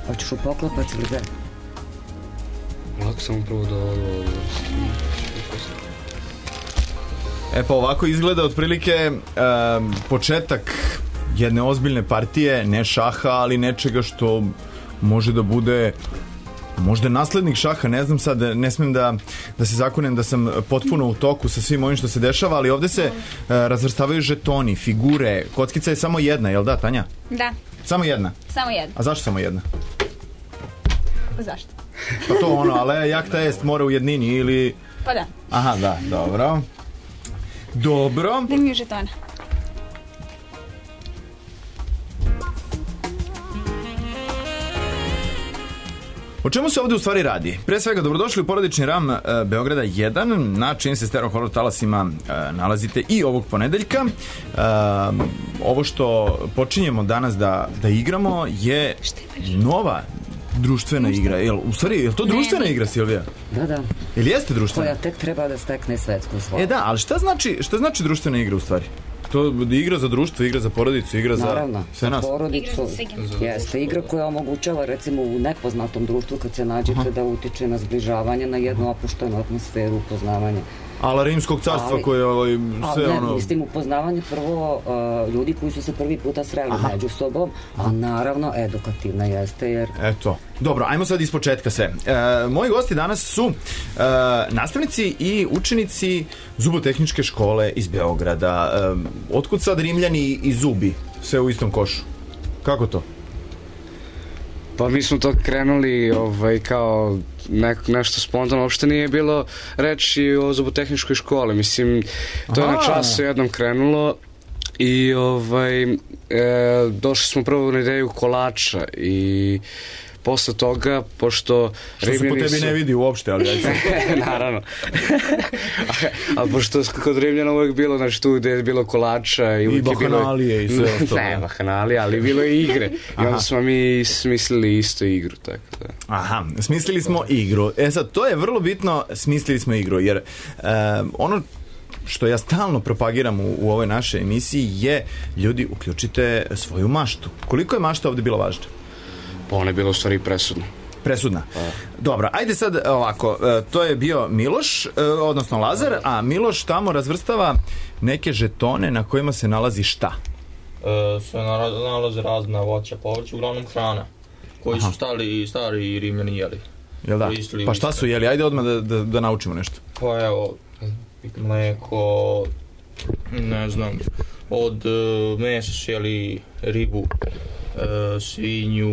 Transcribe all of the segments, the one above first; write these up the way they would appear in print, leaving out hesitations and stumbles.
Hoćeš u poklopac ili gde? Lako sam prvo do ovo. Pa ovako izgleda otprilike početak jedne ozbiljne partije, ne šaha, ali nečega što može da bude možda naslednik šaha, ne znam sad, ne smem da se zakunem da sam potpuno u toku sa svim ovim što se dešava, ali ovde se razvrstavaju žetoni, figure, kockica je samo jedna, jel da, Tanja? Da. Samo jedna? Samo jedna. A zašto samo jedna? Zašto? Pa to ono, ale jakta jest mora u jednini ili... Pa da. Aha, da, dobro. Dobro. Da mi je žetona. O čemu se ovde u stvari radi? Pre svega, dobrodošli u porodični RAM Beograda 1, na čim se stereo horror talasima nalazite i ovog ponedeljka. Ovo što počinjemo danas da igramo je nova društvena igra. U stvari, je to društvena igra, Silvija? Da. Ili jeste društvena? Koja tek treba da stekne svetsku slavu. Da, ali šta znači društvena igra u stvari? To igra za društvo, igra za porodicu, igra za sve nas. Naravno, za porodicu. Jeste igra koja omogućava recimo u nepoznatom društvu kad se nađete da utiče na zbližavanje, na jednu opuštenu atmosferu, upoznavanje. Ala Rimskog carstva koje sve ono... Mislim, upoznavanje prvo ljudi koji su se prvi puta sreli među sobom, a naravno edukativna jeste jer... Eto. Dobro, ajmo sad ispočetka sve. Moji gosti danas su nastavnici i učenici Zubotehničke škole iz Beograda. Otkud sad Rimljani i zubi sve u istom košu? Kako to? Pa mi smo to krenuli kao nešto spontano, uopšte nije bilo reći o Zubotehničkoj školi, mislim, to je na času jednom krenulo i došli smo prvo na ideju kolača i posle toga, pošto što se po tebi ne vidi uopšte, ali naravno. Ali pošto kod Rimljana uvek bilo, znači tu gde je bilo kolača i bahanalije i sve ostalo. Ne, bahanalije, ali bilo je igre. I onda smo mi smislili isto igru, tako da. Aha, smislili smo igru. Sad, to je vrlo bitno, smislili smo igru, jer ono što ja stalno propagiram u ovoj našoj emisiji je, ljudi, uključite svoju maštu. Koliko je mašta ovde bila važna? Pa ona je bila u stvari presudna. Presudna. Dobro, ajde sad ovako, to je bio Miloš, odnosno Lazar, a Miloš tamo razvrstava neke žetone na kojima se nalazi šta? Se nalaze razna voća, povrća, uglavnom hrana, koji su stari Rimljani jeli. Jel da? Pa šta su jeli? Ajde odmah da naučimo nešto. Pa evo, mleko, ne znam, od mesa su jeli ribu, svinju,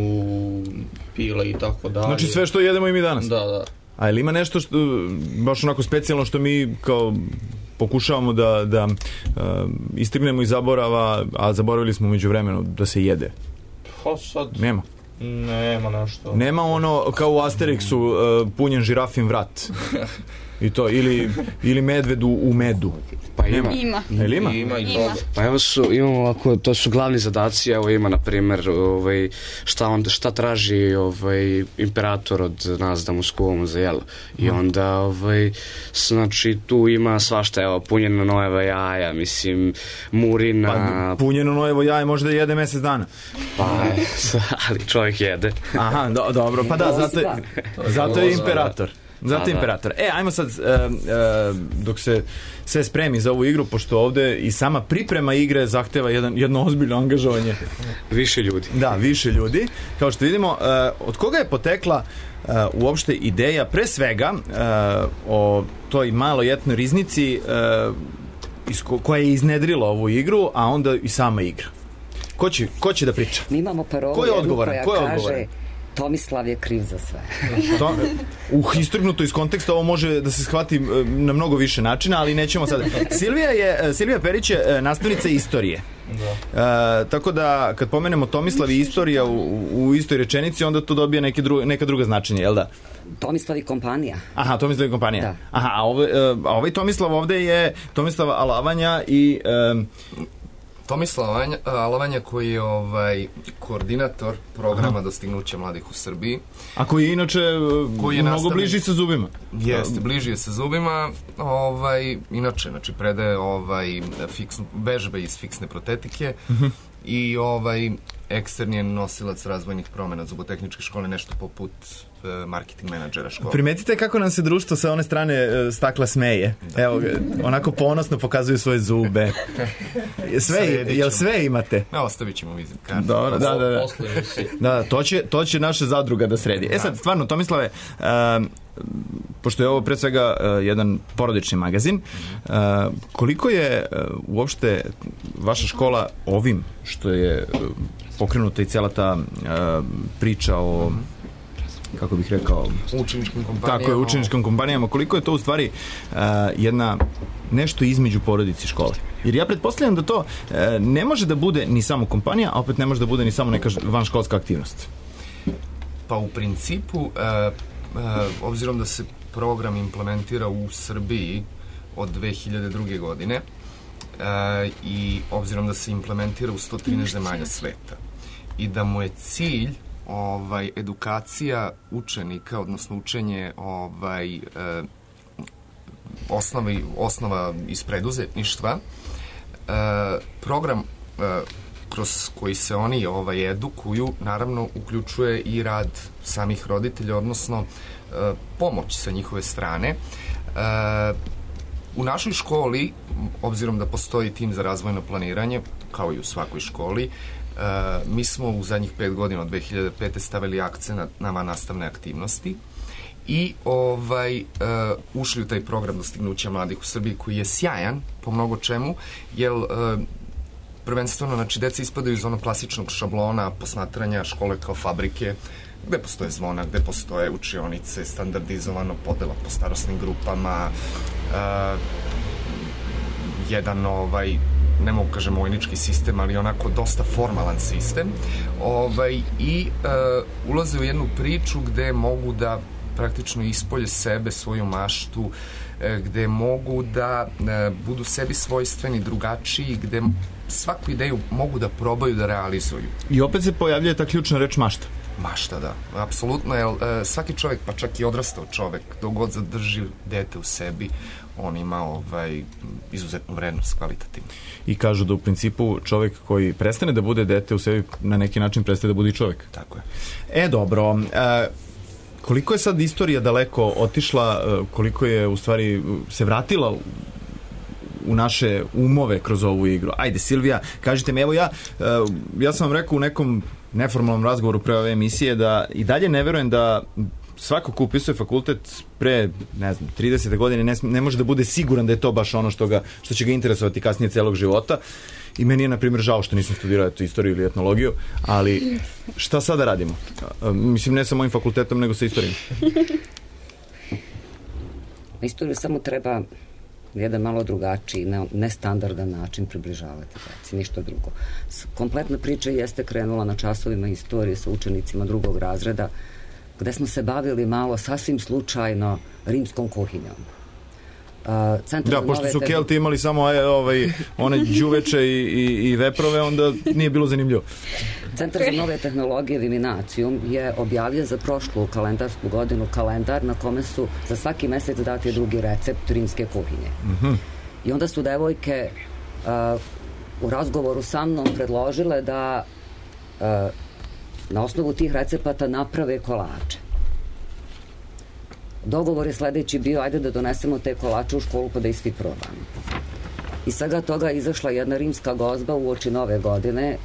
pile i tako dalje. Znači sve što jedemo i mi danas? Da. A ili ima nešto što, baš onako specijalno što mi kao pokušavamo da istrignemo iz zaborava, a zaboravili smo među vremenu da se jede? Pa sad... Nema nešto. Nema ono kao u Asterixu punjen žirafin vrat. I to, ili medvedu u medu. Pa ima. Ima i toga. Pa evo imamo ovako, to su glavni zadaci, evo ima na primjer šta traži imperator od nas da mu skuvamo za jelo. I onda znači tu ima svašta, evo punjeno nojeva jaja, mislim murina. Pa punjeno nojevo jaje može da jede mesec dana. Pa ali čovjek jede. Aha, dobro, pa da, zato je imperator. Zato imperator. Ajmo sad, dok se sve spremi za ovu igru, pošto ovde i sama priprema igre zahteva jedno ozbiljno angažovanje. Više ljudi. Da, više ljudi. Kao što vidimo, od koga je potekla uopšte ideja, pre svega, o toj maloj etnoj riznici koja je iznedrila ovu igru, a onda i sama igra. Ko će da priča? Mi imamo parolu koja kaže Tomislav je kriv za sve. Istrgnuto iz konteksta ovo može da se shvati na mnogo više načina, ali nećemo sad. Silvija Perić je nastavnica istorije. Tako da kad pomenemo Tomislav i istorija u istoj rečenici, onda to dobije neka druga značenja, jel da? Tomislav i kompanija. Aha, Tomislav i kompanija. Da. Aha, a ovaj Tomislav ovde je Tomislav Alavanja i... Tomislav Alavanja koji je koordinator programa Dostignuća mladih u Srbiji. A koji je inače mnogo bliži sa zubima. Jeste, bliži je sa zubima. Inače, predaje vežbe iz fiksne protetike i eksterni je nosilac razvojnih promjena zubotehničke škole, nešto poput marketing menadžera škole. Primetite kako nam se društvo sa one strane stakla smeje. Da. Evo, onako ponosno pokazuju svoje zube. Jel sve imate? Ostavit ćemo vizit kartu. Dobro, da, to će naša zadruga da sredi. Sad, stvarno, Tomislave, pošto je ovo pre svega jedan porodični magazin, koliko je uopšte vaša škola ovim što je pokrenuta i cijela ta priča o, kako bih rekao, učeničkim kompanijama. Tako je, učeničkim kompanijama. Koliko je to u stvari jedna nešto između porodice i škole? Jer ja pretpostavljam da to ne može da bude ni samo kompanija, a opet ne može da bude ni samo neka vanškolska aktivnost. Pa u principu, obzirom da se program implementira u Srbiji od 2002. godine i obzirom da se implementira u 113 zemalja sveta i da mu je cilj edukacija učenika, odnosno učenje osnova iz preduzetništva, program kroz koji se oni edukuju, naravno uključuje i rad samih roditelja, odnosno pomoć sa njihove strane. U našoj školi, obzirom da postoji tim za razvojno planiranje, kao i u svakoj školi, mi smo u zadnjih 5 godina od 2005. stavili akcent na vannastavne aktivnosti i ušli u taj program dostignuća mladih u Srbiji koji je sjajan po mnogo čemu, jer prvenstveno, znači, deca ispadaju iz onog klasičnog šablona posmatranja škole kao fabrike, gde postoje zvona, gde postoje učionice, standardizovano podela po starosnim grupama, jedan, ne mogu kažem vojnički sistem, ali onako dosta formalan sistem, i ulaze u jednu priču gde mogu da praktično ispolje sebe, svoju maštu, gde mogu da budu sebi svojstveni, drugačiji, gde svaku ideju mogu da probaju da realizuju. I opet se pojavljuje ta ključna reč mašta. Mašta, da. Apsolutno, jer svaki čovjek, pa čak i odrastao čovjek, dok god zadrži dete u sebi, on ima izuzetnu vrednost, kvalitativnu. I kažu da u principu čovjek koji prestane da bude dete u sebi, na neki način prestaje da bude i čovjek. Tako je. Dobro. Koliko je sad istorija daleko otišla, koliko je u stvari se vratila u naše umove kroz ovu igru? Ajde, Silvija, kažite mi, evo ja sam vam rekao u nekom neformalnom razgovoru pre ove emisije da i dalje ne verujem da svako ko upisuje fakultet pre, 30. godine ne može da bude siguran da je to baš ono što će ga interesovati kasnije celog života. I meni je, na primjer, žao što nisam studirao istoriju ili etnologiju, ali šta sada radimo? Mislim, ne sa mojim fakultetom, nego sa istorijom. Istoriju samo treba jedan malo drugačiji, nestandardan način približavati. Ništa drugo. Kompletna priča jeste krenula na časovima istorije sa učenicima 2. razreda, gde smo se bavili malo sasvim slučajno rimskom kuhinjom. Da, pošto su Kelti imali samo one đuveče i veprove, onda nije bilo zanimljivo. Centar za nove tehnologije Viminacijum je objavio za prošlu kalendarsku godinu kalendar na kome su za svaki mesec dati drugi recept rimske kuhinje. I onda su devojke u razgovoru sa mnom predložile da na osnovu tih recepata naprave kolače. Dogovor je sledeći bio, ajde da donesemo te kolače u školu pa da ih svi probamo. Iz svega toga je izašla jedna rimska gozba uoči nove godine,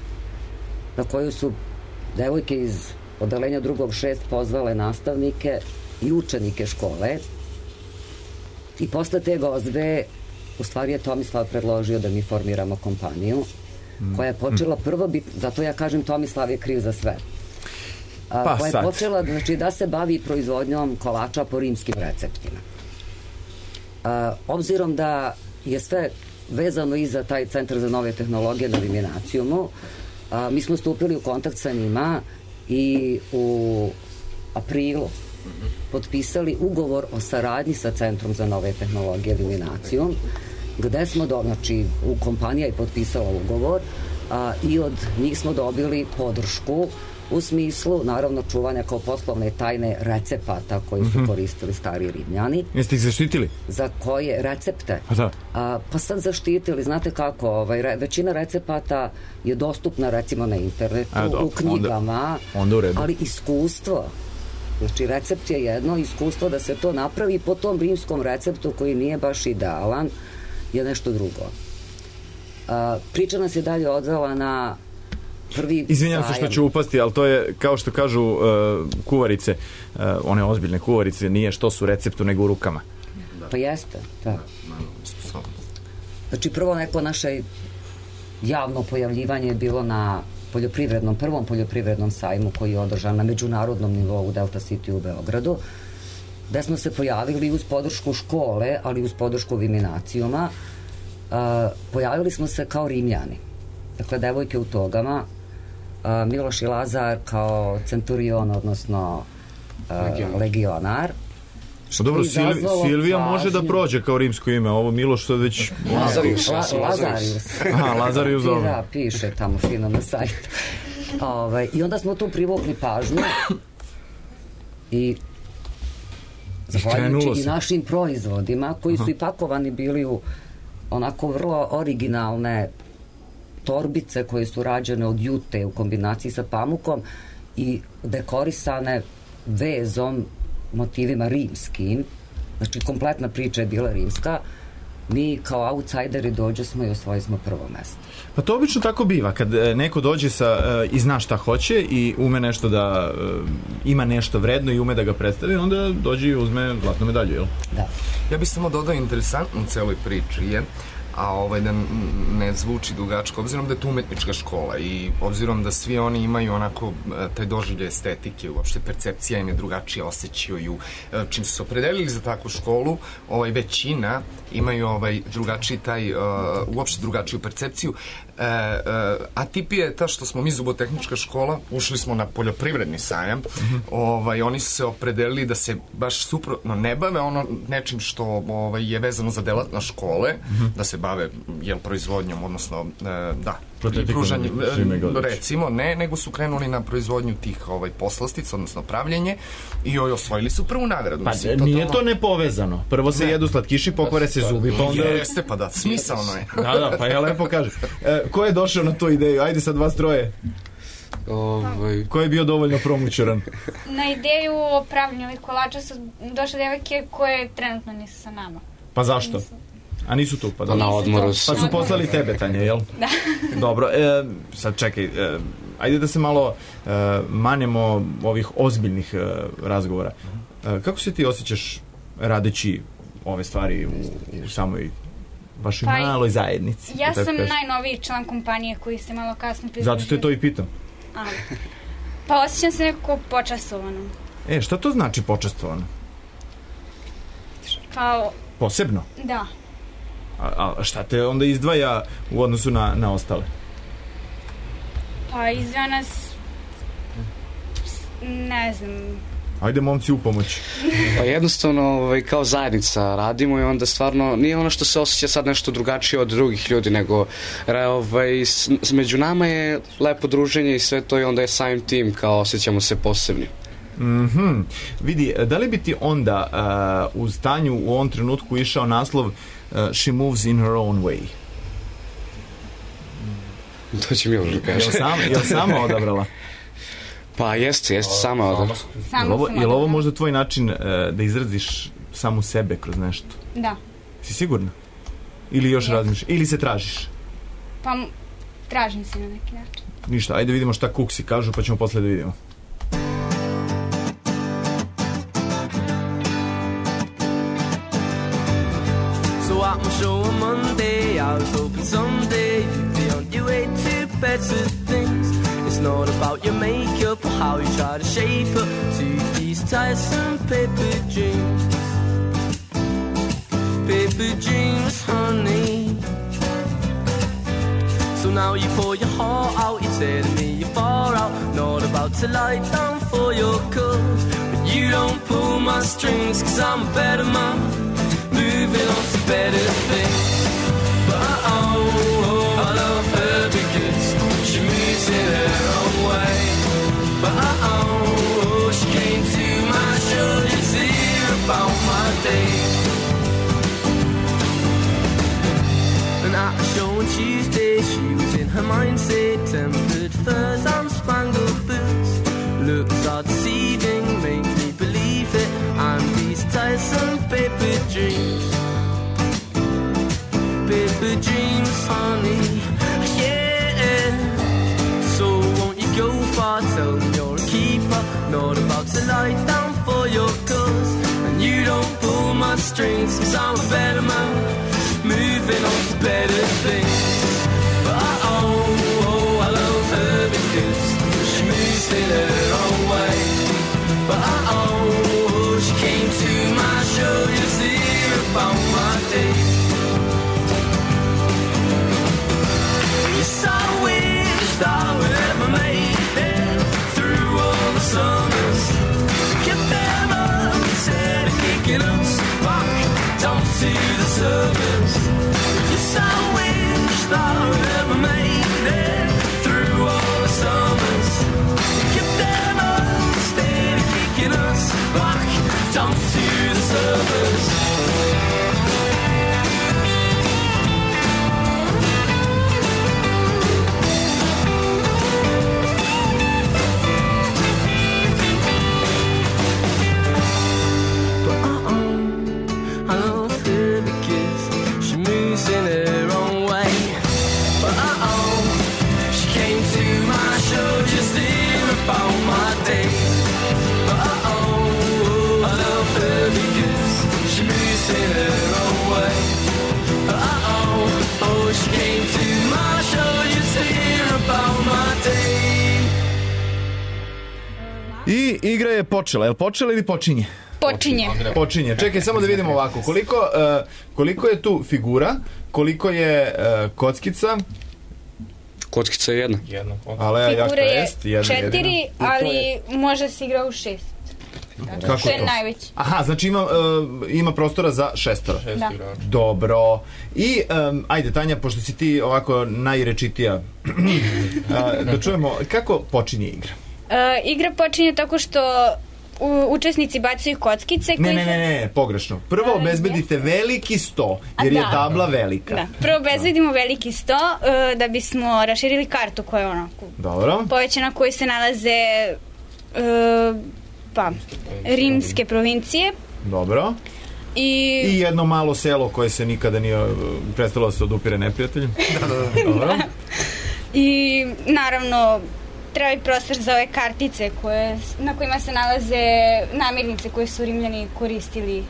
na koju su devojke iz odeljenja 2.6 pozvale nastavnike i učenike škole. I posle te gozbe, u stvari je Tomislav predložio da mi formiramo kompaniju, koja je počela prvo biti, zato ja kažem Tomislav je kriv za sve. Koja je počela da se bavi proizvodnjom kolača po rimskim receptima. Obzirom da je sve vezano i za taj Centar za nove tehnologije na Viminacijumu, mi smo stupili u kontakt sa njima i u aprilu potpisali ugovor o saradnji sa Centrom za nove tehnologije Viminacijum, gde smo, kompanija je potpisala ugovor i od njih smo dobili podršku u smislu, naravno, čuvanja kao poslovne tajne recepata koji su koristili stari Rimljani. Jeste ih zaštitili? Za koje recepte? Da. Pa sad zaštitili, znate kako, većina recepata je dostupna recimo na internetu, u knjigama, onda u redu. Ali iskustvo, znači recept je jedno, iskustvo da se to napravi po tom rimskom receptu koji nije baš idealan, je nešto drugo. Priča nas je dalje odvela na prvi Izvinjam se što ću upasti, ali to je, kao što kažu kuvarice, one ozbiljne kuvarice, nije što su receptu, nego u rukama. Pa jeste, da. Znači, prvo neko naše javno pojavljivanje je bilo na prvom poljoprivrednom sajmu koji je održan na međunarodnom nivou u Delta City u Beogradu, gde smo se pojavili uz podršku škole, ali uz podršku Viminacijuma. Pojavili smo se kao Rimljani. Dakle, devojke u togama, Miloš i Lazar kao centurion, odnosno legionar. Dobro, Silvija može da prođe kao rimsko ime, ovo Miloš što je već... Lazarius. Aha, Lazarius, dobro. Da, piše tamo fino na sajtu. I onda smo tu privukli pažnju i zahvaljujući i našim proizvodima, koji su i pakovani bili u onako vrlo originalne torbice koje su rađene od jute u kombinaciji sa pamukom i dekorisane vezom, motivima rimskim, znači kompletna priča je bila rimska. Mi kao outsideri dođe smo i osvojili smo prvo mesto. Pa to obično tako biva, kad neko dođe i zna šta hoće i ume nešto da ima nešto vredno i ume da ga predstavi, onda dođe i uzme zlatnu medalju, jel? Da. Ja bih samo dodao interesantno u celoj priči je, da ne zvuči dugačko, obzirom da je to umetnička škola i obzirom da svi oni imaju onako taj doživljaj estetike, uopšte percepcija im je drugačije, osjećaju, čim su se opredelili za takvu školu, većina imaju drugačiji uopšte drugačiju percepciju. Atipija je ta što smo mi zubotehnička škola, ušli smo na poljoprivredni sajam, oni su se opredelili da se baš suprotno ne bave nečim što je vezano za delatnost škole, da se bave proizvodnjom, odnosno pružanje, recimo, nego su krenuli na proizvodnju tih poslastica, odnosno pravljenje i osvojili su prvu nagradu. Pa nije to nepovezano. Prvo se jedu slatkiši, pokvare se zubi, pa onda... Jeste, pa da, smisalno je. Da, pa ja lepo kažem. Ko je došao na tu ideju? Ajde sad vas troje. Ko je bio dovoljno promućeran? Na ideju o pravljenju ovih kolača su došle devojke koje trenutno nisu sa nama. Pa zašto? A nisu tu, pa da. Na odmoru. Pa su poslali tebe, Tanja, jel? Da. Dobro, sad čekaj, ajde da se malo manemo ovih ozbiljnih razgovora. Kako se ti osjećaš radeći ove stvari u samoj vašoj maloj zajednici? Ja sam najnoviji član kompanije koji se malo kasno pridružio. Zato te to i pitam. Pa osjećam se nekako počastovano. Šta to znači počastovano? Kao... Posebno? Da. A šta te onda izdvaja u odnosu na ostale? Pa izdvaja nas... ne znam... Ajde, momci, u pomoć. Pa jednostavno, kao zajednica radimo i onda stvarno nije ono što se osjeća sad nešto drugačije od drugih ljudi, nego među nama je lepo druženje i sve to i onda je samim tim kao osjećamo se posebni. Vidi, da li bi ti onda uz Tanju u ovom trenutku išao naslov She moves in her own way? To će mi još kažem. Jel sama odabrala? Pa jeste, sama odabrala. Je li ovo možda tvoj način da izraziš samu sebe kroz nešto? Da. Si sigurna? Ili još razmišljaš? Ili se tražiš? Pa tražim se na neki način. Ništa, ajde vidimo šta kuksi kažu pa ćemo posle da vidimo. Out my show on Monday, I was hoping someday you'd be on your way to better things. It's not about your makeup or how you try to shape up to these tiresome paper dreams. Paper dreams, honey. So now you pour your heart out, you're telling me you're far out, not about to lie down for your cause. But you don't pull my strings, cause I'm a better man, moving on to better things. But I love her because she moves in her own way. mine say tempered furs and spangled boots. Looks are deceiving, make me believe it. And these tiresome paper dreams, honey, yeah. So won't you go far, tell me you're a keeper, not about to lie down for your cause. And you don't pull my strings, 'cause I'm a better man, moving on to better things. But I love her because she moves in her own way. But she came to my show just to hear about my day. Yes, I wish I would ever made it through all the summers. Get them up instead of kicking us back down to the surface. Yes, I wish I would ever made it through all the summers. Get them up instead of kicking us back down to the surface. I igra je počela. Je li počela ili počinje? Počinje. Čekaj, samo da vidimo ovako. Koliko je tu figura? Koliko je kockica? Kockica je jedna. Figura je 4, ali može se igra u 6. Kako to je to? najveći. Aha, znači ima prostora za 6. Da. Dobro. I, ajde Tanja, pošto si ti ovako najrečitija, da čujemo kako počinje igra. Igra počinje tako što učesnici bacaju kockice. Ne, pogrešno. Prvo obezbedite veliki sto, jer je tabla velika. Da. Prvo obezbedimo veliki sto da bismo raširili kartu koja je onako povećana, koji se nalaze rimske provincije. Dobro. I jedno malo selo koje se nikada nije prestalo se odupire neprijateljem. Dobro. I naravno treba i prostor za ove kartice na kojima se nalaze namirnice koje su Rimljani koristili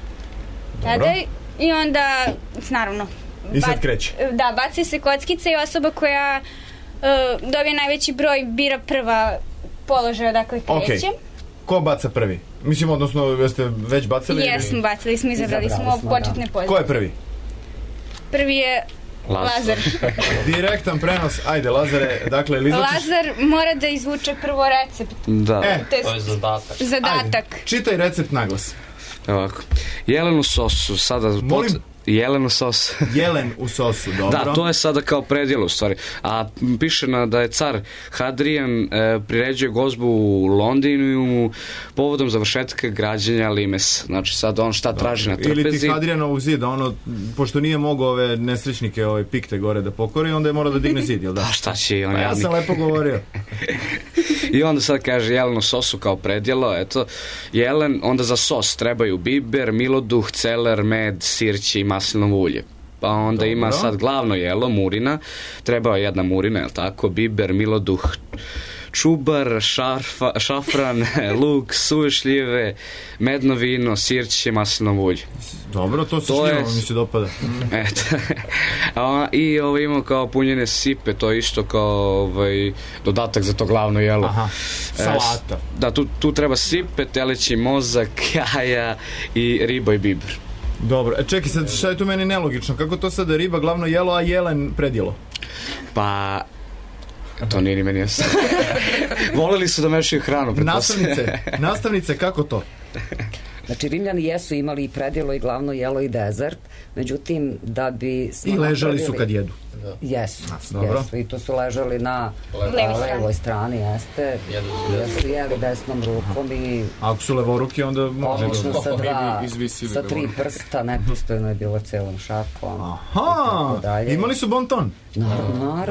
tada. I onda, naravno, i sad kreće. Da, baci se kockice i osoba koja dobije najveći broj bira prva položaj odakle kreće. Ko baca prvi? Mislim, odnosno, jeste već bacali? Jesmo, bacali smo, izabrali smo početne pozicije. Ko je prvi? Prvi je Lazar. Direktan prenos, ajde Lazare, dakle, ili izvučiš... Lazar mora da izvuče prvo recept. Da. To je zadatak. Ajde, čitaj recept naglas. Ovako, jelen u sosu, sada... Molim? Jelen u sosu. Jelen u sosu, dobro. Da, to je sada kao predjelo u stvari. A piše da je car Hadrian priređuje gozbu u Londinu povodom završetka građenja Limes. Znači sad on šta traži na trpezi. Ili ti Hadrianovog zida, pošto nije mogao ove nesrećnike, pikte gore da pokori, onda je morao da digne zid, jel da? Pa šta će on jadnik? Ja sam lepo govorio. I onda sad kaže jelen u sosu kao predjelo, eto, jelen, onda za sos trebaju biber, miloduh, celer, med, sirće i maslinovo ulje. Pa onda ima sad glavno jelo, murina, treba jedna murina, je li tako, biber, miloduh, čubar, šafran, luk, suve šljive, medno vino, sirće, maslinovo ulje. Dobro, to se šljivo mi se dopada. Eto. I imamo kao punjene sipe, to je isto kao dodatak za to glavno jelo. Aha, salata. Da, tu treba sipe, teleći mozak, jaja i riba i biber. Dobro, čekaj sad, šta je tu meni nelogično? Kako to sada riba glavno jelo, a jelen predjelo? Pa... To nije ni meni jasno. Voleli su da mešaju hranu. Nastavnice, kako to? Znači, Rimljani jesu imali i predjelo i glavno jelo i dezert, međutim, da bi... I ležali su kad jedu. Jesu, Dobro. jesu. I tu su ležali na levoj strani, jeste. Jer su jeli desnom rukom i... Ako su levoruki, onda može obično izvisili sa 3 prsta, nepristojno je bilo celom šakom. Aha, imali su bon ton. Naravno,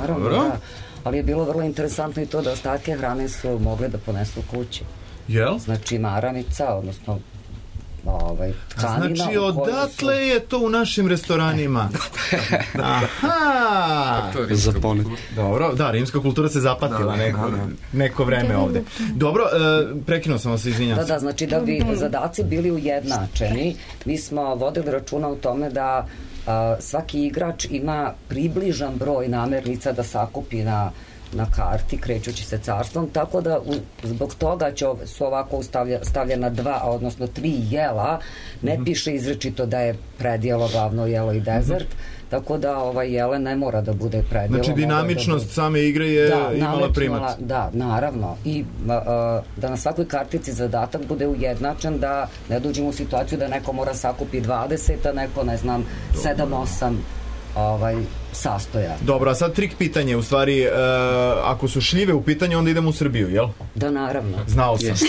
Dobro. da. Ali je bilo vrlo interesantno i to da ostatke hrane su mogli da ponesu kući. Jel? Znači, maramica, odnosno tkanina. Znači, odatle je to u našim restoranima. Aha! Dobro, da, rimska kultura se zapatila neko vreme ovde. Dobro, prekinuo sam vas, izvinjam se. Da, znači da bi zadaci bili ujednačeni, mi smo vodili računa u tome da svaki igrač ima približan broj namernica da sakupi na karti, krećući se carstvom, tako da zbog toga su ovako stavljena 2, odnosno 3 jela, ne piše izrečito da je predjelo, glavno jelo i dezert, tako da jele ne mora da bude predjelo. Znači, dinamičnost same igre je imala primat. Da, naravno. I da na svakoj kartici zadatak bude ujednačen, da ne dođemo u situaciju da neko mora sakupi 20, a neko, ne znam, 7-8 sastoja. Dobro, a sad trik pitanje, u stvari, ako su šljive u pitanju, onda idemo u Srbiju, jel? Da, naravno. Znao sam.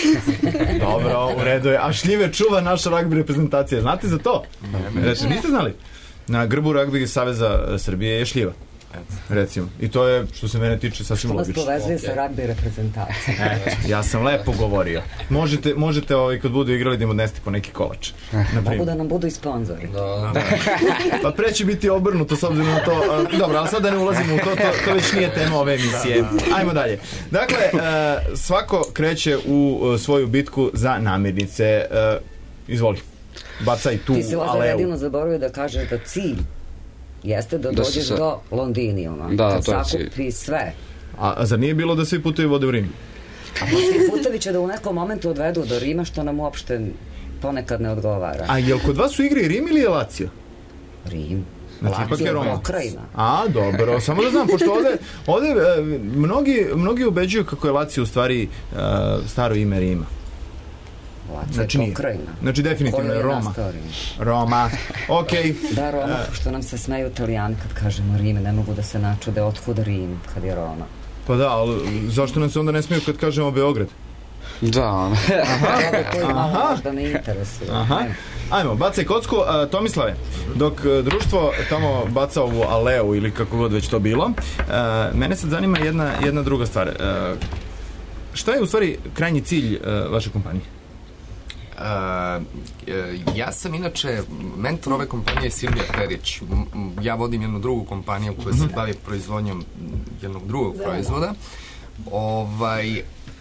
Dobro, u redu je. A šljive čuva naša ragbi reprezentacija. Znate za to? Znači, niste znali? Na grbu Ragbi Saveza Srbije je šljiva. Recimo. I to je, što se mene tiče, sasvim logično. Što nas povezuje sa ragbi reprezentacijom. Ja sam lepo govorio. Možete kad budu igrali da im odnesti po neki kolač. Mogu da nam budu i sponzori. Pa pre će biti obrnuto s obzirom na to. Dobro, ali sad da ne ulazimo u to već nije tema ove emisije. Ajmo dalje. Dakle, svako kreće u svoju bitku za namirnice. Izvoli. Bacaj tu aleu. Ti si, Lazar, jedino zaboravio da kažeš da cilj jeste da dođeš do Londinijuma. Da, to je cilj. Sakupi sve. A zar nije bilo da svi putevi vode u Rim? A svi putevi će da u nekom momentu odvedu do Rima, što nam uopšte ponekad ne odgovara. A jel kod vas u igri Rim ili je Lazio? Rim. Znači, ipak je Roma. Pokrajina. A, dobro, samo da znam, pošto ovde mnogi ubeđuju kako je Lazio u stvari staro ime Rima. Znači nije. Znači definitivno je Roma. Roma, okej. Da, Roma, što nam se smeju Italijani kad kažemo Rim, ne mogu da se načude otkud Rim kad je Roma. Pa da, ali zašto nam se onda ne smeju kad kažemo Beograd? Da. To malo možda ne interesuje. Ajmo, bacaj kocku. Tomislave, dok društvo tamo baca ovu aleu ili kako god već to bilo, mene sad zanima jedna druga stvar. Šta je u stvari krajnji cilj vaše kompanije? Ja sam inače mentor ove kompanije Silvija Perić. Ja vodim jednu drugu kompaniju koja se bavi proizvodnjom jednog drugog proizvoda.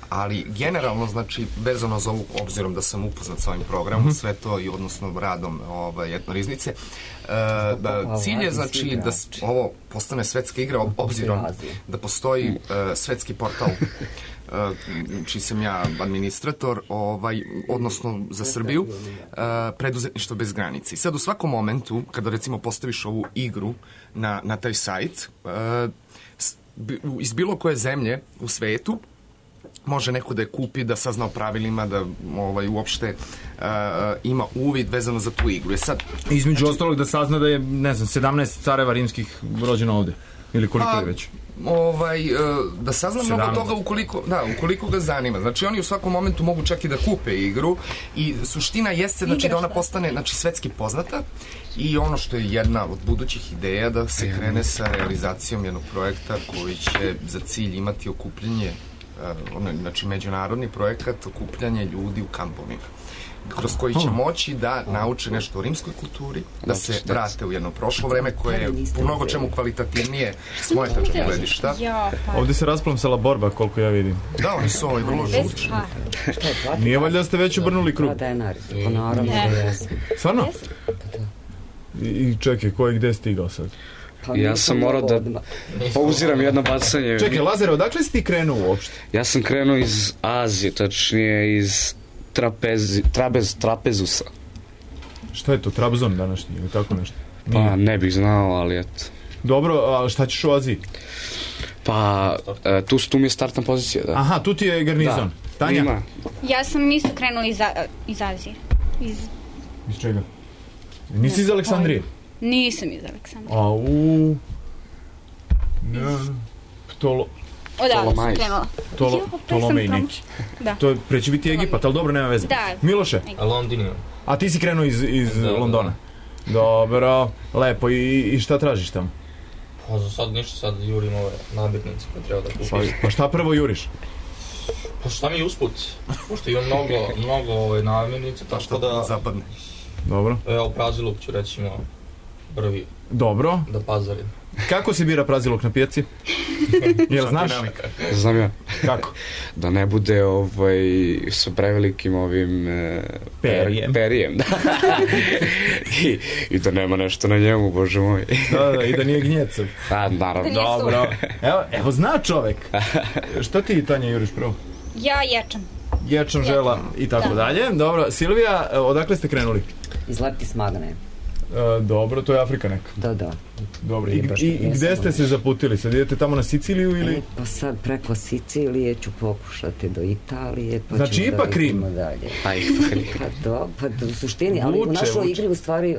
Ali generalno, znači, vezano za ovu, obzirom da sam upoznat sa ovim programom, sve to i odnosno radom Etnoriznice, cilj je, znači, da ovo postane svetska igra, obzirom da postoji svetski portal čiji sam ja administrator, odnosno za Srbiju, preduzetništvo bez granice. I sad u svakom momentu, kada recimo postaviš ovu igru na taj sajt, iz bilo koje zemlje u svetu, može neko da je kupi, da sazna o pravilima, da uopšte ima uvid vezano za tu igru. Između ostalog da sazna da je, ne znam, 17 careva rimskih rođeno ovde. Ili koliko je već? Da sazna mnogo toga ukoliko ga zanima. Znači oni u svakom momentu mogu čak i da kupe igru i suština jeste, znači, da ona postane, znači, svetski poznata i ono što je jedna od budućih ideja da se krene sa realizacijom jednog projekta koji će za cilj imati okupljanje, znači međunarodni projekat okupljanje ljudi u kampovima, kroz koji će moći da nauče nešto o rimskoj kulturi, da se vrate u jedno prošlo vreme koje je u mnogo čemu kvalitativnije s moje tačke gledišta. Ovde se rasplamsala borba, koliko ja vidim. Da, oni su vrlo žučni. Nije valjda da ste već obrnuli krug? Naravno da jesam. Stvarno? I čekaj, ko je gde stigao sad? Ja sam morao da pauziram jedno bacanje. Čekaj, Lazare, odakle si ti krenuo uopšte? Ja sam krenuo iz Azije, tačnije iz Trapezusa. Šta je to, Trabzon današnji ili tako nešto? Pa ne bih znao, ali eto. Dobro, a šta ćeš u Aziji? Pa tu mi je startna pozicija, da. Aha, tu ti je garnizon. Tanja? Ima. Ja sam isto krenula iz Azije. Iz čega? Nisi iz Aleksandrije? Nisam iz Aleksandrije. Odavde sam krenula. Tolomej neki. Da. To preće biti Egipat, ali dobro, nema veze. Da. Miloše? London. A ti si krenuo iz Londona? Dobro, lepo. I šta tražiš tamo? Pa za sad ništa, sad jurim ove namirnice koje treba da kupim. Pa šta prvo juriš? Pa šta mi je usput? Pošto imam mnogo namirnice, tako da... Zapadne. Dobro. Evo, praziluk ću recimo prvi. Dobro. Da pazarim. Kako se bira praziluk na pijaci? Jel znaš? Znam ja. Kako? Da ne bude sa prevelikim ovim perijem. Da. I da nema nešto na njemu, bože moj. Da, i da nije gnjecav. Naravno. Dobro. Evo zna čovek. Šta ti, Tanja, juriš prvo? Ja ječam. Ječam, žela i tako dalje. Dobro, Silvija, odakle ste krenuli? Iz Leptis Magne. Dobro, to je Afrika neka. Da. Dobro, i gde ste se zaputili? Sad idete tamo na Siciliju ili? Pa sad preko Sicilije ću pokušati do Italije. Pa znači ipak Rim? Pa u suštini, ali u našoj igri u stvari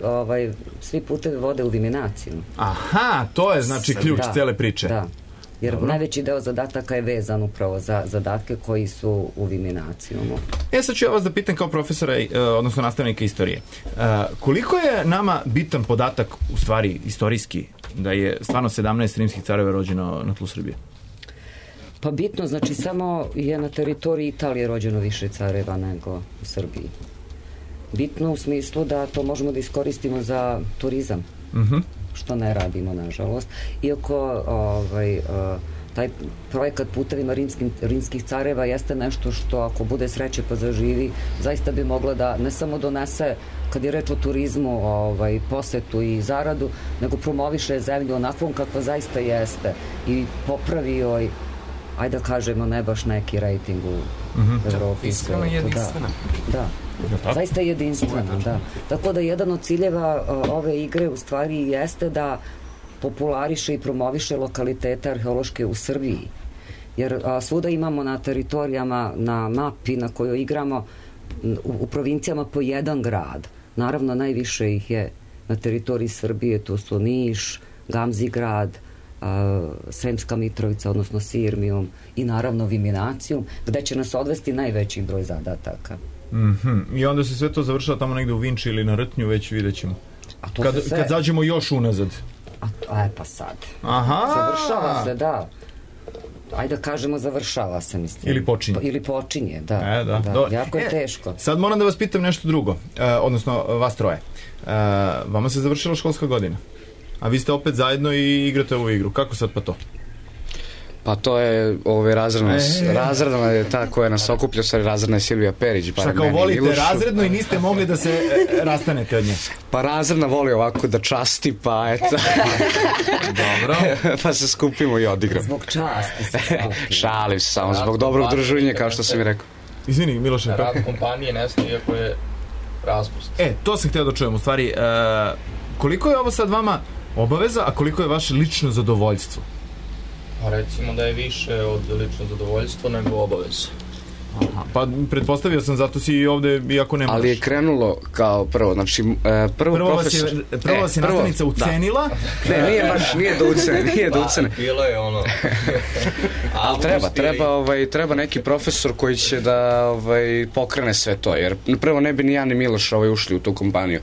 svi putevi vode u Viminaciju. Aha, to je znači ključ cele priče. Da. Jer najveći deo zadataka je vezan upravo za zadatke koji su u Viminacijumu. Sad ću ja vas da pitam kao profesora, odnosno nastavnika istorije. Koliko je nama bitan podatak, u stvari istorijski, da je stvarno 17 rimskih careva rođeno na tlu Srbije? Pa bitno, znači samo je na teritoriji Italije rođeno više careva nego u Srbiji. Bitno u smislu da to možemo da iskoristimo za turizam. Što ne radimo, nažalost. Iako taj projekat putevima rimskih careva jeste nešto što, ako bude sreće pa zaživi, zaista bi mogla da ne samo donese, kad je reč o turizmu, posetu i zaradu, nego promoviše zemlju onakvom kakva zaista jeste i popravi joj, ajde da kažemo, ne baš neki rejting u Evropi. Iskreno jedinstvena. Da. Zaista je jedinstvena, da. Tako da jedan od ciljeva ove igre u stvari jeste da populariše i promoviše lokalitete arheološke u Srbiji. Jer svuda imamo na teritorijama, na mapi na kojoj igramo, u provincijama po jedan grad. Naravno, najviše ih je na teritoriji Srbije, to su Niš, Gamzigrad, Sremska Mitrovica, odnosno Sirmijum i naravno Viminacijum, gde će nas odvesti najveći broj zadataka. I onda se sve to završava tamo negde u Vinči ili na Rtnju, već vidjet ćemo. Kad zađemo još unazad. Pa sad. Aha! Završava se, da. Ajde da kažemo završava se, mislim. Ili počinje. Da. Jako je teško. Sad moram da vas pitam nešto drugo, odnosno vas troje. Vama se završila školska godina, a vi ste opet zajedno i igrate ovu igru. Kako sad pa to? Pa to je razredna je ta koja nas okuplja, razredna je Silvija Perić. Šta kao volite razredno i niste mogli da se rastanete od nje? Pa razredna voli ovako da časti, pa eto. Dobro. Pa se skupimo i odigramo. Zbog časti se skupimo. Šalim se samo, zbog dobrog druženja, kao što sam i rekao. Izvini, Miloše. Rad kompanije nestaje iako je raspust. To sam htio da čujem, u stvari. Koliko je ovo sad vama obaveza, a koliko je vaše lično zadovoljstvo? Pa recimo da je više od lično zadovoljstva nego obaveza. Pa pretpostavio sam, zato si i ovde, iako ne možeš. Ali je krenulo kao prvo, znači prvo profesor... Prvo vas je nastavnica ucenila. Ne, nije do ucene. Bilo je ono... Ali treba neki profesor koji će da pokrene sve to, jer prvo ne bi ni ja ni Miloš ušli u tu kompaniju.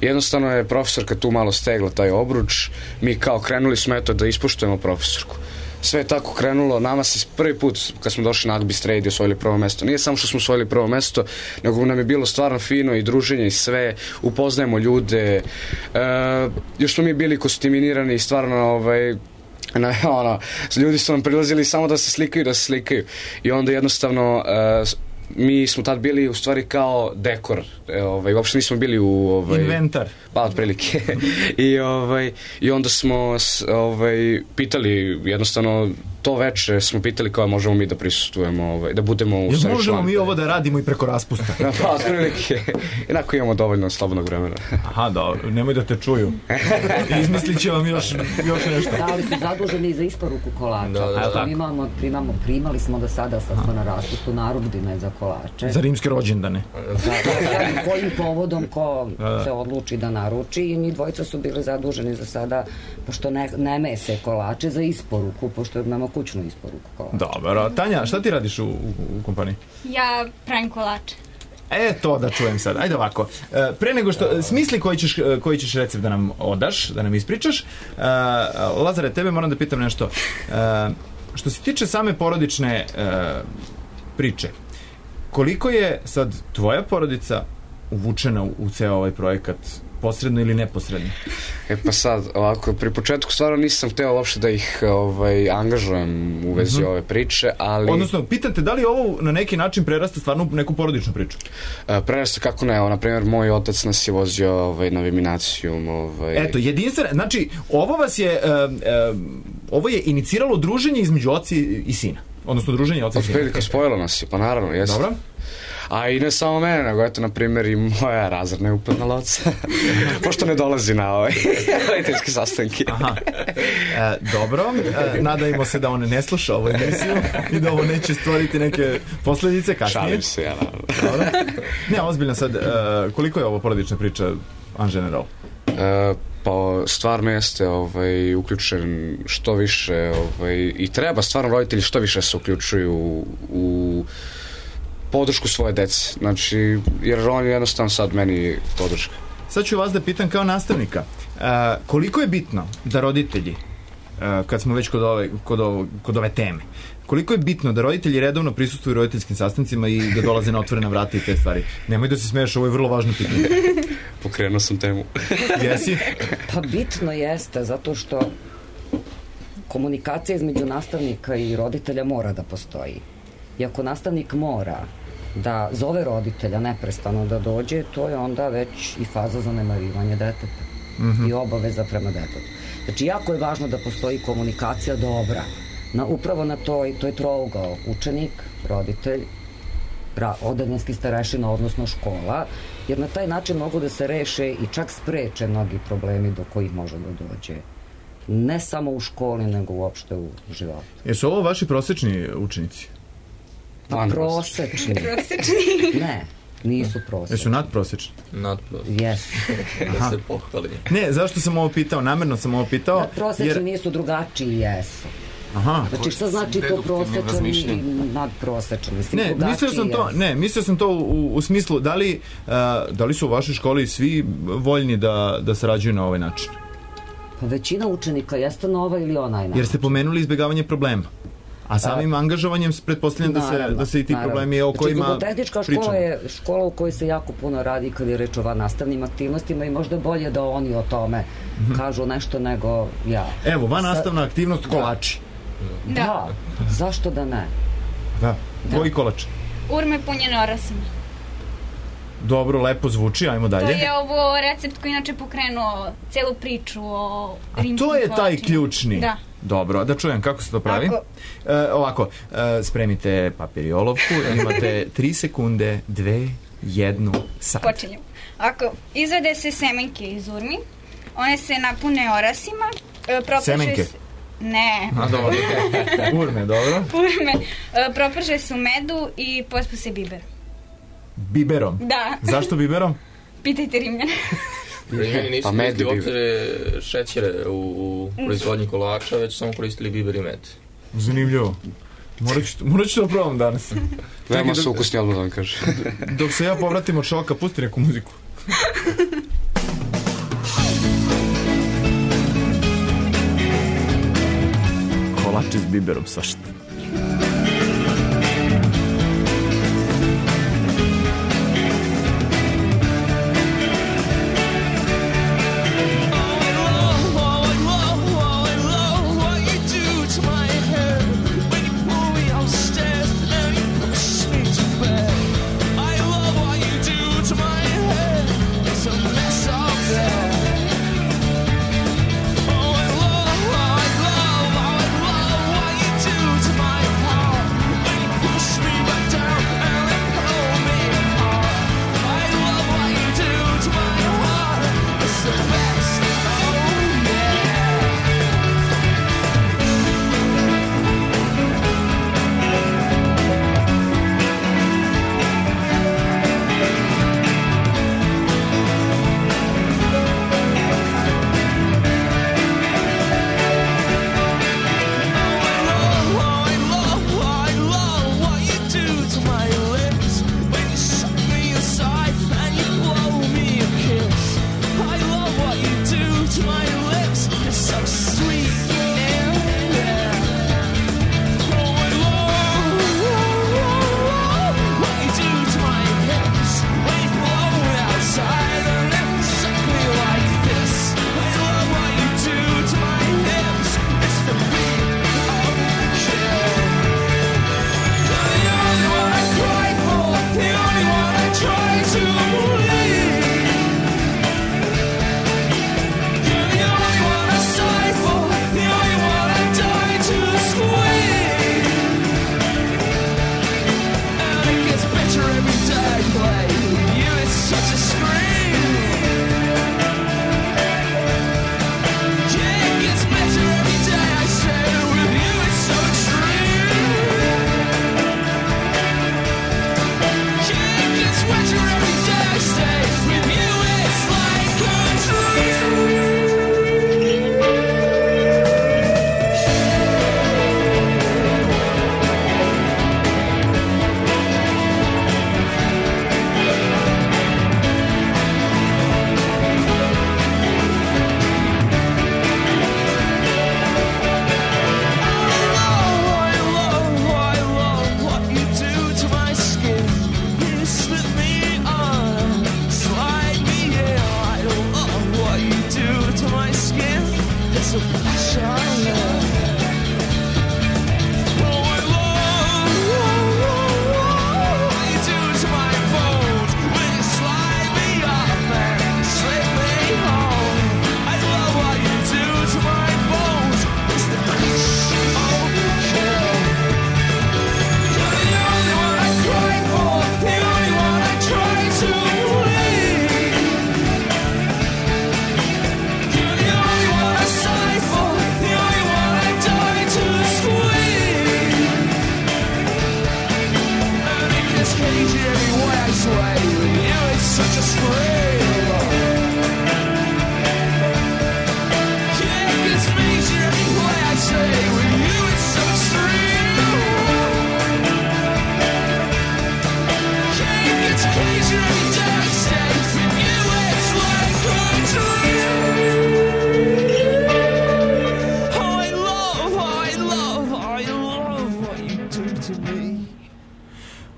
Jednostavno je profesorka tu malo stegla taj obruč, mi kao krenuli smo da ispoštujemo profesorku. Sve je tako krenulo, nama se prvi put kad smo došli na Agbist Radio osvojili prvo mesto. Nije samo što smo osvojili prvo mesto, nego nam je bilo stvarno fino i druženje i sve, upoznajemo ljude, još smo mi bili kostiminirani i stvarno ljudi su nam prilazili samo da se slikaju i onda jednostavno mi smo tad bili u stvari kao dekor, uopšte nismo bili u inventar. Pa otprilike. I onda smo pitali jednostavno to veče smo pitali kao možemo mi da prisustvujemo, da budemo u stvari možemo mi ovo da radimo i preko raspusta. Pa, otprilike. Jednako imamo dovoljno slobodnog vremena. Aha, dobro, nemoj da te čuju. Izmislit će vam još nešto. Da, ali su zaduženi za isporuku kolača. Primali smo do sada, sad smo na raspustu narudžbine za kolače. Za rimske rođendane. Kojim povodom ko se odluči da naruči i mi dvojica su bili zaduženi za sada, pošto ne mese kolače, za isporuku, pošto imamo kućnu isporuku kolača. Dobro. Tanja, šta ti radiš u kompaniji? Ja pravim kolače. To da čujem sad. Ajde ovako. Pre nego što smisli koji ćeš recept da nam odaš, da nam ispričaš. Lazare, tebe moram da pitam nešto. Što se tiče same porodične priče, koliko je sad tvoja porodica uvučena u ceo ovaj projekat, posredno ili neposredno? Pa sad, ovako, pri početku stvarno nisam hteo uopšte da ih angažujem u vezi ove priče, ali... Odnosno, pitate da li ovo na neki način prerasta stvarno u neku porodičnu priču? Prerasta kako ne, na primjer, moj otac nas je vozio na Viminacijum. Eto, jedinstveno, znači, ovo je iniciralo druženje između oca i sina. Odnosno, druženje oca i sina. Otprilike, spojilo nas je, pa naravno, jeste. Dobro. A i ne samo mene, nego eto, na primjer, i moja razredna je upadnala oca. Pošto ne dolazi na roditeljske sastanke. Aha. Dobro. Nadajmo se da on ne sluša ovu emisiju i da ovo neće stvoriti neke posledice kasnije. Šalim se, ja naravno. Dobro. Ne, ozbiljno sad, koliko je ovo porodična priča en general? Pa stvarno jeste uključen što više i treba stvarno roditelji što više se uključuju u podršku svoje dece, znači, jer on je jednostavno sad meni podrška. Sad ću vas da pitam kao nastavnika, koliko je bitno da roditelji, kad smo već kod ove teme, koliko je bitno da roditelji redovno prisustvuju roditeljskim sastancima i da dolaze na otvorena vrata i te stvari? Nemoj da se smeješ, ovo je vrlo važno pitanje. Pokrenuo sam temu. Jesi? Pa bitno jeste, zato što komunikacija između nastavnika i roditelja mora da postoji. I ako nastavnik mora da zove roditelja neprestano da dođe, to je onda već i faza zanemarivanja deteta i obaveza prema detetu. Znači, jako je važno da postoji komunikacija dobra. Upravo na to je trougao učenik, roditelj, odeljenski starešina, odnosno škola, jer na taj način mogu da se reše i čak spreče mnogi problemi do kojih može da dođe. Ne samo u školi, nego uopšte u životu. Jesu ovo vaši prosečni učenici? Pa prosečni. Ne, nisu prosečni. Jesu nadprosečni? Nadprosečni. Jesu. Da se pohvali. Ne, zašto sam ovo pitao? Namerno sam ovo pitao. Nadprosečni nisu drugačiji, jesu. Aha. Znači, šta znači to prosečan i nadprosečan? Ne, mislio sam to u smislu, da li su u vašoj školi svi voljni da sarađuju na ovaj način? Pa većina učenika jeste na ovaj ili onaj način. Jer ste pomenuli izbjegavanje problema. A samim angažovanjem pretpostavljam da se i ti problemi o kojima pričamo. Zubotehnička škola je škola u kojoj se jako puno radi kad je reč o vannastavnim aktivnostima i možda bolje da oni o tome kažu nešto nego ja. Evo, vannastavna aktivnost kolači. Da. Zašto da ne? Da. Koji kolač? Urme punjene orasima. Dobro, lepo zvuči, ajmo dalje. To je ovo recept koji inače pokrenuo celu priču o rimskim kolačima. A to je taj ključni? Da. Dobro, da čujem kako se to pravi. Ovako, spremite papir i olovku, imate 3 sekunde, 2, 1, sad. Počinjemo. Ako izvede se semenke iz urmi, one se napune orasima. Semenke? Ne. A dobro. Urme, dobro. Urme. Proprže se u medu i pospu se biber. Biberom? Da. Zašto biberom? Pitajte Rimljane. Rimljani nisu koristili uopće šećere u proizvodnji kolača, već samo koristili biber i med. Zanimljivo. Morat ću da probam danas. Veoma su ukusni, odmah da vam kažem. Dok se ja povratim od šoka, pusti neku muziku. Kolači s biberom, svašta. Oh, I love what you do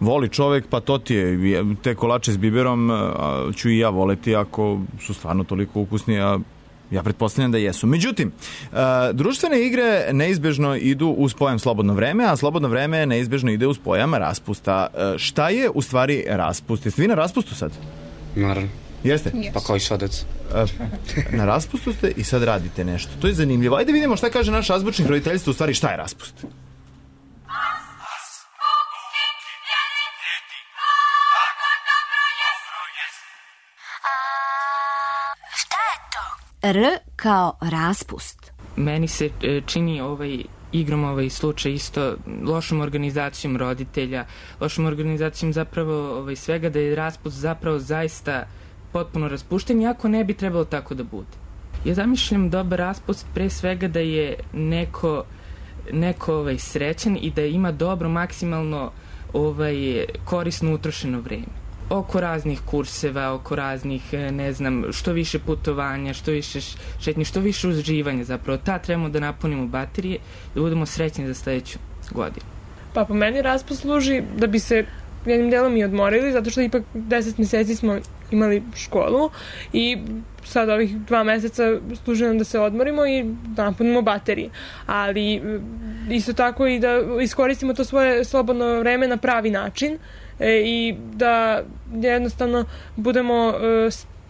Voli čovek, pa to ti je, te kolače s biberom ću i ja voleti ako su stvarno toliko ukusni, a ja pretpostavljam da jesu. Međutim, društvene igre neizbežno idu uz pojam slobodno vreme, a slobodno vreme neizbežno ide uz pojam raspusta. Šta je u stvari raspust? Jeste vi na raspustu sad? Naravno. Jeste? Pa kao i sva deca. Na raspustu ste i sad radite nešto. To je zanimljivo. Ajde vidimo šta kaže naš azbučnik roditeljstva u stvari šta je raspust. R kao raspust. Meni se čini igrom slučaj isto lošom organizacijom roditelja, lošom organizacijom zapravo svega, da je raspust zapravo zaista potpuno raspušten, iako ne bi trebalo tako da bude. Ja zamišljam dobar raspust pre svega da je neko srećan i da ima dobro, maksimalno korisno utrošeno vreme. Oko raznih kurseva, oko raznih, ne znam, što više putovanja, što više šetnje, što više uživanja zapravo. Trebamo da napunimo baterije, da budemo srećni za sledeću godinu. Pa po meni raspust služi da bi se jednim delom i odmorili, zato što ipak 10 meseci smo imali školu i sad ovih 2 meseca služi nam da se odmorimo i da napunimo baterije. Ali isto tako i da iskoristimo to svoje slobodno vreme na pravi način i da jednostavno budemo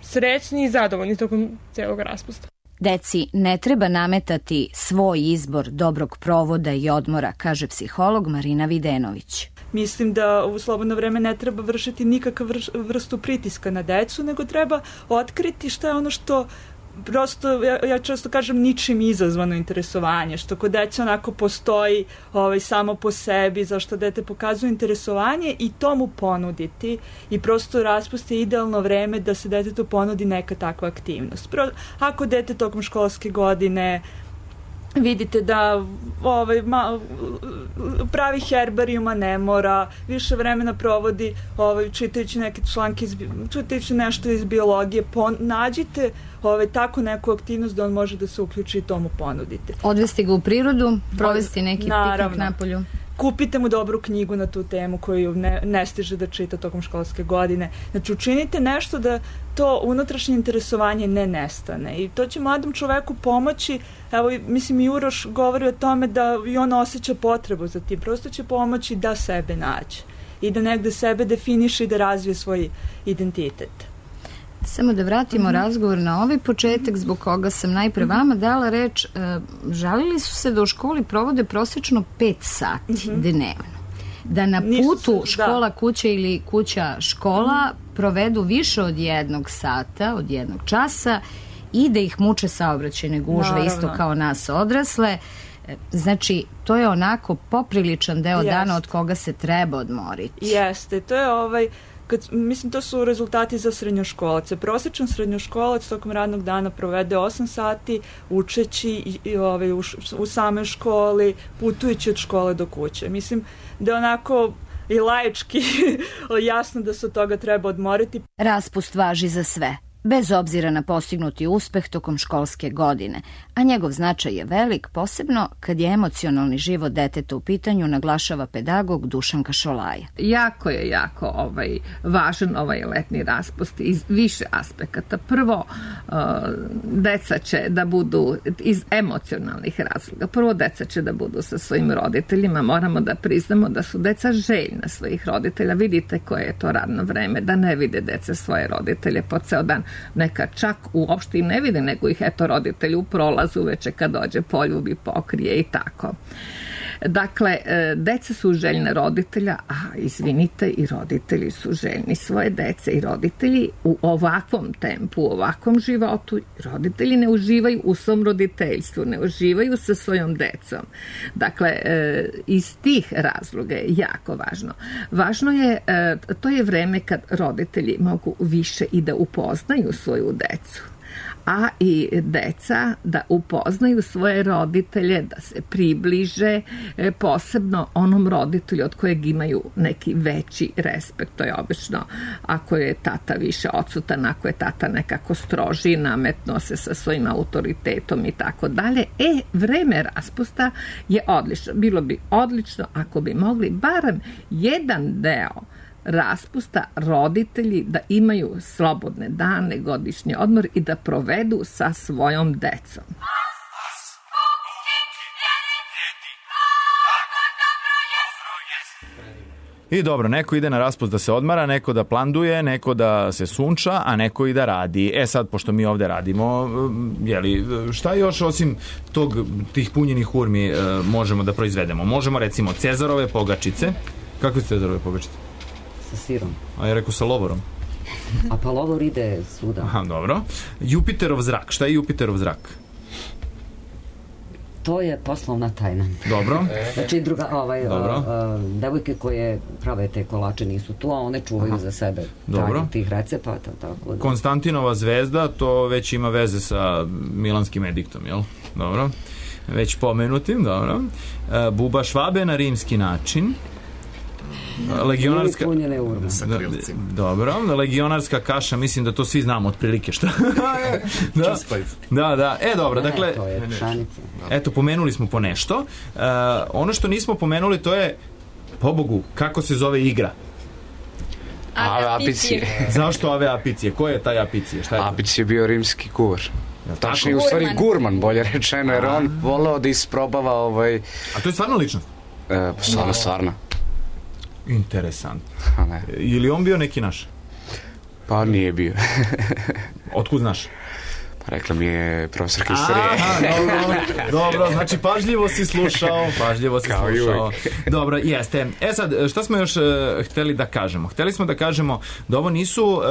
srećni i zadovoljni tokom celog raspusta. Deci ne treba nametati svoj izbor dobrog provoda i odmora, kaže psiholog Marina Videnović. Mislim da u slobodno vreme ne treba vršiti nikakav vrstu pritiska na decu, nego treba otkriti šta je ono što prosto, ja često kažem, ničim izazvano interesovanje, što kod deca onako postoji samo po sebi, zašto dete pokazuje interesovanje i to mu ponuditi i prosto raspust je idealno vreme da se detetu ponudi neka takva aktivnost. Ako dete tokom školske godine vidite da pravi herbarijuma ne mora, više vremena provodi čitajući neke članke, čitajući nešto iz biologije, nađite tako neku aktivnost da on može da se uključi i tomu ponudite. Odvesti ga u prirodu, provesti neki piknik napolju. Kupite mu dobru knjigu na tu temu koju ne stiže da čita tokom školske godine. Znači, učinite nešto da to unutrašnje interesovanje ne nestane. I to će mladom čoveku pomoći. Evo, mislim, i Uroš govori o tome da i on osjeća potrebu za tim. Prosto će pomoći da sebe nađe i da negde sebe definiše i da razvije svoj identitet. Samo da vratimo razgovor na ovaj početak zbog koga sam najpre vama dala reč. Žalili su se da u školi provode prosečno 5 sati dnevno. Da na putu škola kuća ili kuća škola provedu više od 1 sata, od 1 časa i da ih muče saobraćajne gužve, isto kao nas odrasle. Znači, to je onako popriličan deo dana od koga se treba odmoriti. Jeste, to je mislim, to su rezultati za srednjoškolace. Prosječan srednjoškolac tokom radnog dana provede 8 sati učeći u samoj školi, putujući od škole do kuće. Mislim da je onako i laički jasno da se od toga treba odmoriti. Raspust važi za sve, bez obzira na postignuti uspeh tokom školske godine, a njegov značaj je velik, posebno kad je emocionalni život deteta u pitanju, naglašava pedagog Dušanka Šolaja. Jako je važan ovaj letnji raspust iz više aspekata. Prvo, deca će da budu iz emocionalnih razloga. Prvo, deca će da budu sa svojim roditeljima. Moramo da priznamo da su deca željna svojih roditelja. Vidite koje je to radno vreme, da ne vide deca svoje roditelje po ceo dan. Neka čak uopšte i ne vide, nego ih roditelji u prolazu uveče kad dođe poljubi, pokrije i tako. Dakle, deca su željne roditelja, a izvinite, i roditelji su željni svoje dece i roditelji u ovakvom tempu, u ovakvom životu. Roditelji ne uživaju u svom roditeljstvu, ne uživaju sa svojom decom. Dakle, iz tih razloga je jako važno. Važno je, to je vreme kad roditelji mogu više i da upoznaju svoju decu. a i deca da upoznaju svoje roditelje, da se približe posebno onom roditelju od kojeg imaju neki veći respekt. To je obično ako je tata više odsutan, ako je tata nekako stroži, nametno se sa svojim autoritetom i tako dalje. Vreme raspusta je odlično. Bilo bi odlično ako bi mogli barem jedan deo raspusta roditelji da imaju slobodne dane, godišnji odmor i da provedu sa svojom decom. I dobro, neko ide na raspust da se odmara, neko da planduje, neko da se sunča, a neko i da radi. Sad, pošto mi ovde radimo, šta još osim tih punjenih urmi možemo da proizvedemo? Možemo recimo Cezarove pogačice. Kakve su Cezarove pogačice? Sa sirom. A ja rekao sa lovorom. A pa lovor ide svuda. Aha, dobro. Jupiterov zrak. Šta je Jupiterov zrak? To je poslovna tajna. Dobro. Znači, devojke koje prave te kolače nisu tu, a one čuvaju za sebe tajnu tih recepata. Tako da. Konstantinova zvezda, to već ima veze sa Milanskim ediktom, jel? Dobro. Već pomenutim, dobro. Buba Švabe na rimski način. Legionarska... Sa krilcima. Dobro, legionarska kaša, mislim da to svi znamo otprilike šta. Da. Dobro, dakle... To je pšenica. Eto, pomenuli smo po nešto. Ono što nismo pomenuli, to je, pobogu, kako se zove igra? Ave Apicije. Zašto Ave Apicije? Ko je taj Apicije? Apicije je bio rimski kuvar. Tačnije, u stvari gurman, bolje rečeno, jer on voleo da isprobava A to je stvarno ličnost? Stvarno. Interesantno. Je on bio neki naš? Pa nije bio. Otkud znaš? Pa rekla mi je profesorka istorije. Dobro, znači pažljivo si slušao. Dobro, jeste. Sad, šta smo još hteli da kažemo? Hteli smo da kažemo da ovo nisu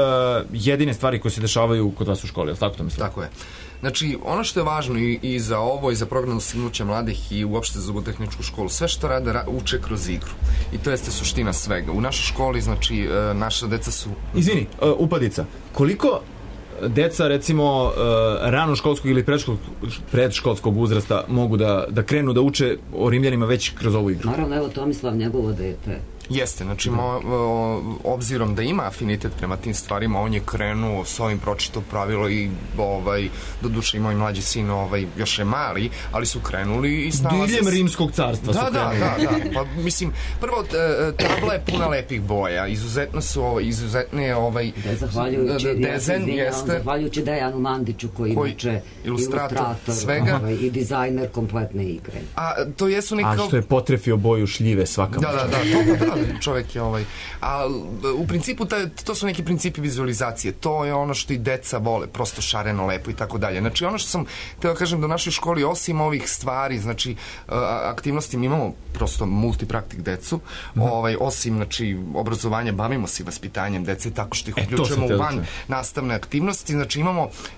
jedine stvari koje se dešavaju kod vas u školi, ali tako to mislim? Tako je. Znači, ono što je važno i za ovo i za program dostignuća mladih i uopšte za zubotehničku školu, sve što rade uče kroz igru. I to jeste suština svega. U našoj školi, znači, naša deca su... Izvini, upadica. Koliko deca, recimo, ranoškolskog ili predškolskog uzrasta mogu da krenu da uče o Rimljanima već kroz ovu igru? Naravno, evo Tomislav, njegovo dete. Jeste, znači obzirom da ima afinitet prema tim stvarima, on je krenuo s ovim, pročitao pravilo i doduše i moj mlađi sin još je mali, ali su krenuli i snalaze... Diljem Rimskog carstva su krenuli. Da. Pa mislim, prvo tabla je puna lepih boja, izuzetne dezen jeste... Zahvaljujući Dejanu Mandiću koji inače ilustrator svega i dizajner kompletne igre. A to jesu nekako... A što je potrefio boju šljive svaka Da, čovjek je a u principu to su neki principi vizualizacije, to je ono što i deca vole, prosto šareno, lepo i tako dalje. Znači ono što sam htio kažem da u našoj školi osim ovih stvari, znači aktivnosti, mi imamo prosto multipraktik decu, osim znači obrazovanja, bavimo se vaspitanjem dece tako što ih uključujemo u van nastavne aktivnosti, znači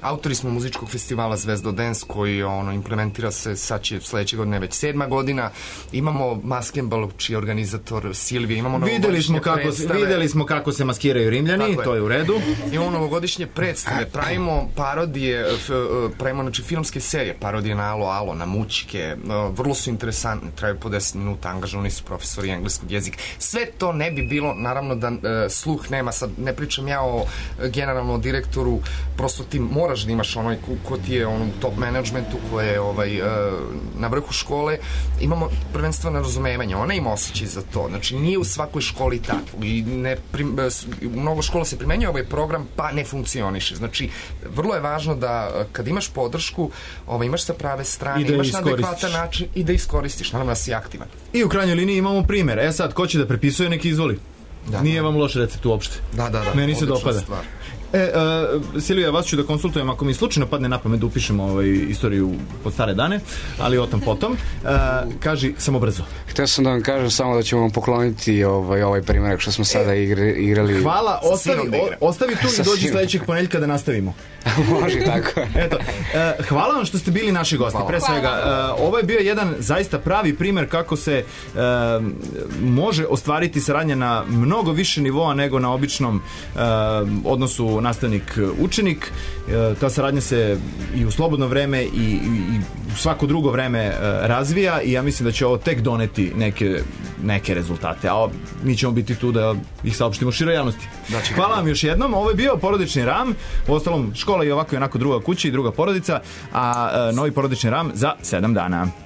autori smo muzičkog festivala Zvezdo Dance koji implementira se, sad će sledeće godine već 7. godina, imamo Maskenbal čiji je organizator Silvije, imamo novogodišnje predstave. Videli smo kako se maskiraju Rimljani, to je u redu. Imamo novogodišnje predstave, pravimo parodije, pravimo znači filmske serije, parodije na Alo, na Mućke, vrlo su interesantne, traju po 10 minuta, angažovani su profesori engleskog jezika. Sve to ne bi bilo, naravno da sluh nema, sad ne pričam ja generalno o direktoru, prosto ti moraš da imaš ko ti je u top managementu, ko je na vrhu škole, imamo prvenstveno razumevanje, ona ima osjećaj za to, znači nije u svakoj školi tako i u mnogo škola se primenjuje ovaj program pa ne funkcioniše, znači vrlo je važno da kad imaš podršku imaš sa prave strane, imaš na adekvatan način i da iskoristiš, naravno da si aktivan. I u krajnjoj liniji imamo primjer, sad ko će da prepisuje neki izvoli, nije vam loš recept uopšte, meni se dopada. Silvija, vas ću da konsultujem ako mi slučajno padne na pamet da upišemo istoriju pod stare dane, ali o tom potom. Kaži samo brzo. Htio sam da vam kažem samo da ćemo vam pokloniti ovaj primjerak što smo sada igrali. Hvala, ostavi tu i dođi sledećeg ponedeljka da nastavimo. Može tako. Eto, hvala vam što ste bili naši gosti. Pre svega, ovo je bio jedan zaista pravi primjer kako se može ostvariti saradnja na mnogo više nivoa nego na običnom odnosu nastavnik učenik. Ta saradnja se i u slobodno vreme i u svako drugo vreme razvija i ja mislim da će ovo tek doneti neke rezultate, a mi ćemo biti tu da ih saopštimo široj javnosti. Hvala vam još jednom, ovo je bio Porodični RAM, u ostalom škola i ovako i onako druga kuća i druga porodica, a novi Porodični RAM za 7 dana.